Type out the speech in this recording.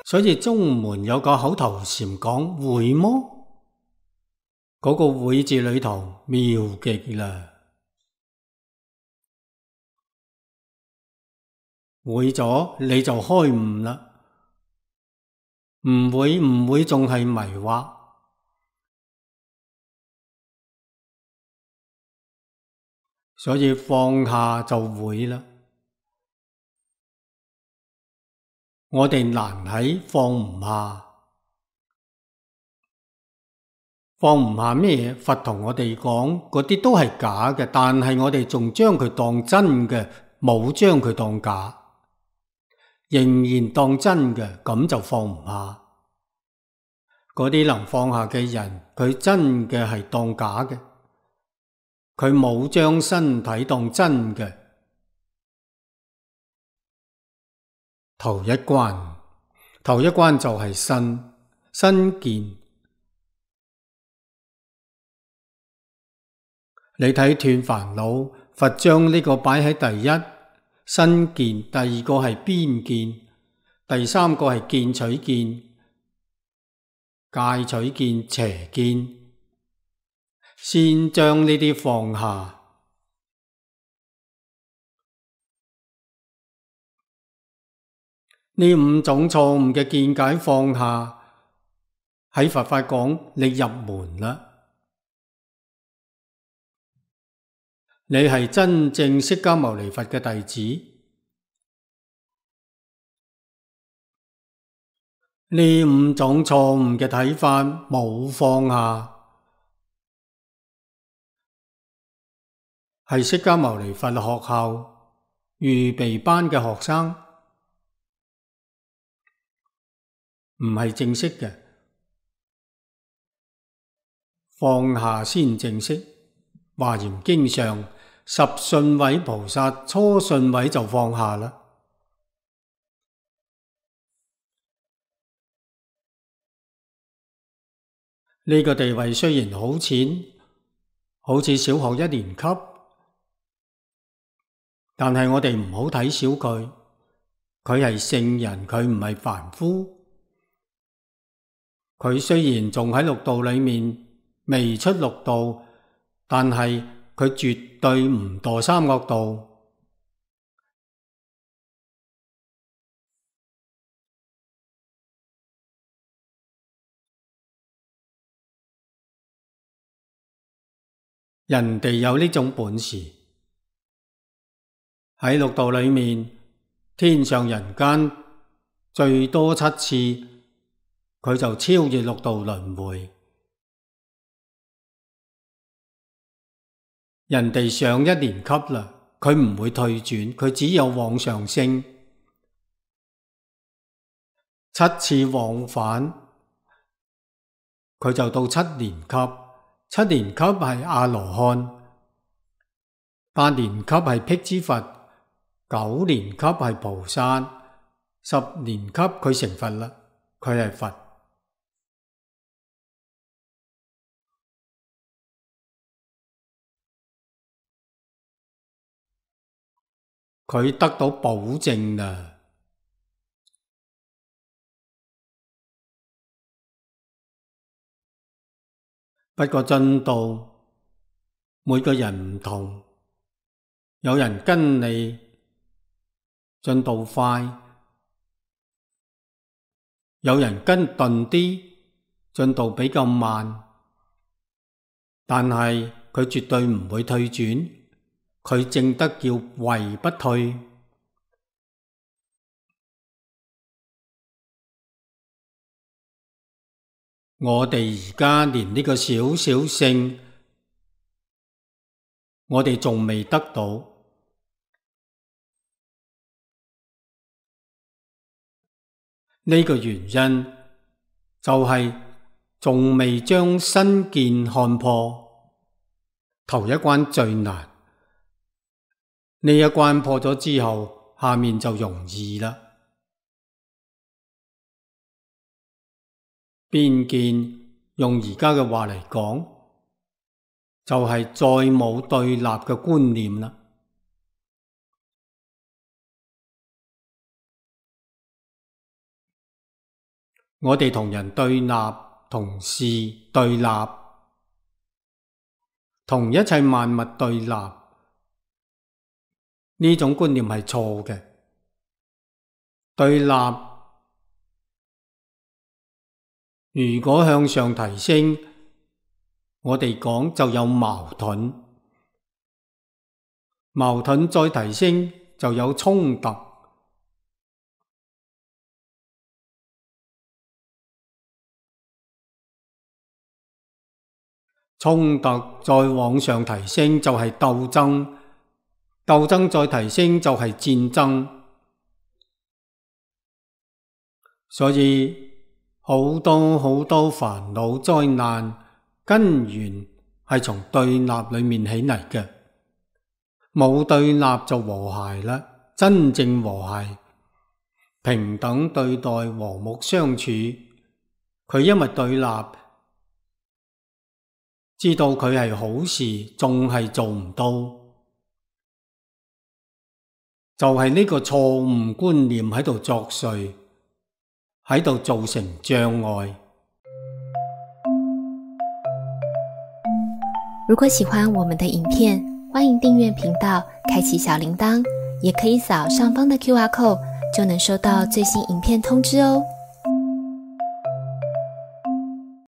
所以中門有個口頭禪講會麼？嗰個會字裏頭妙極啦！會咗你就開悟啦，唔會仲係迷惑。所以放下就會啦。我哋難喺放唔下。放唔下咩？佛同我哋講，嗰啲都係假嘅，但係我哋仲將佢當真嘅，冇將佢當假，仍然當真嘅，咁就放唔下。嗰啲能放下嘅人，佢真嘅係當假嘅，佢冇將身體當真嘅。頭一關就係身見。你睇斷煩惱，佛將呢個擺喺第一，身見；第二個係邊見；第三個係見取見、戒取見、邪見。先將呢啲放下。呢五種錯誤嘅見解放下，喺佛法講你入門啦。你係真正釋迦牟尼佛嘅弟子。呢五種錯誤嘅睇法冇放下，係釋迦牟尼佛學校預備班嘅學生，唔係正式嘅。放下先正式。華嚴經上十信位菩薩初信位就放下啦。呢個地位雖然好淺，好似小學一年級，但係我哋唔好睇小佢，佢係聖人，佢唔係凡夫。佢雖然仲喺六道裏面未出六道，但係佢絕對唔墮三惡道。人哋有呢種本事，喺六道裏面，天上人間最多7次，佢就超越六道輪迴。人哋上一年級啦，佢唔會退轉，佢只有往上升。7次往返，佢就到7年級。7年級係阿羅漢，8年級係辟支佛，9年級係菩薩，10年級佢成佛啦，佢係佛。佢得到保證啦。不過進度每個人唔同，有人跟你進度快，有人跟頓啲，進度比較慢，但係佢絕對唔會退轉，佢證得叫位不退。我哋而家連呢個小小聖，我哋仲未得到。呢個原因就係仲未將身見看破，頭一關最難。呢一關破咗之後，下面就容易啦。邊見用而家嘅話嚟講，就係再冇對立嘅觀念啦。我哋同人對立，同事對立，同一切萬物對立，呢種觀念係錯嘅。對立如果向上提升，我哋講就有矛盾，矛盾再提升就有衝突，衝突再往上提升就係鬥爭，鬥爭再提升就係戰爭。所以好多煩惱災難根源係從對立裏面起嚟嘅。冇對立就和諧啦，真正和諧，平等對待，和睦相處。佢因為對立，知道佢係好事，仲係做唔到，就係呢個錯誤觀念喺度作祟，喺度造成障礙。如果喜歡我們的影片，歡迎訂閱頻道，開啟小鈴鐺，也可以掃上方的QR code，就能收到最新影片通知哦。